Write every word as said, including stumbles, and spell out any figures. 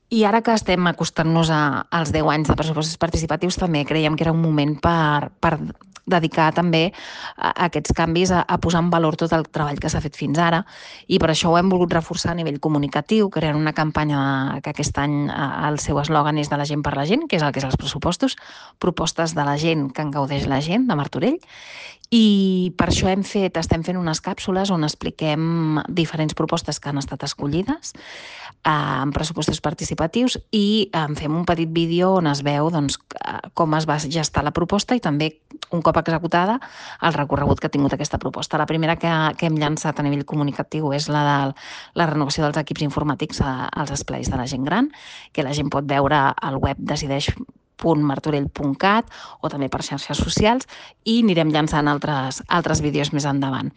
I ara que estem acostant-nos a, als deu anys de pressupostos participatius, també creiem que era un moment per, per dedicar també a, a aquests canvis, a, a posar en valor tot el treball que s'ha fet fins ara, i per això ho hem volgut reforçar a nivell comunicatiu, creant una campanya que aquest any eh, el seu eslògan és de la gent per la gent, que és el que és els pressupostos, propostes de la gent que en gaudeix la gent, de Martorell, i per això hem fet, estem fent unes càpsules on expliquem diferents propostes que han estat escollides eh, en pressupostos participatius i eh, fem un petit vídeo on es veu doncs, com es va gestar la proposta i també, un cop executada, el recorregut que ha tingut aquesta proposta. La primera que, que hem llançat a nivell comunicatiu és la de la renovació dels equips informàtics als espais de la gent gran, que la gent pot veure al web decideix punt martorell punt cat o també per xarxes socials, i anirem llançant altres, altres vídeos més endavant.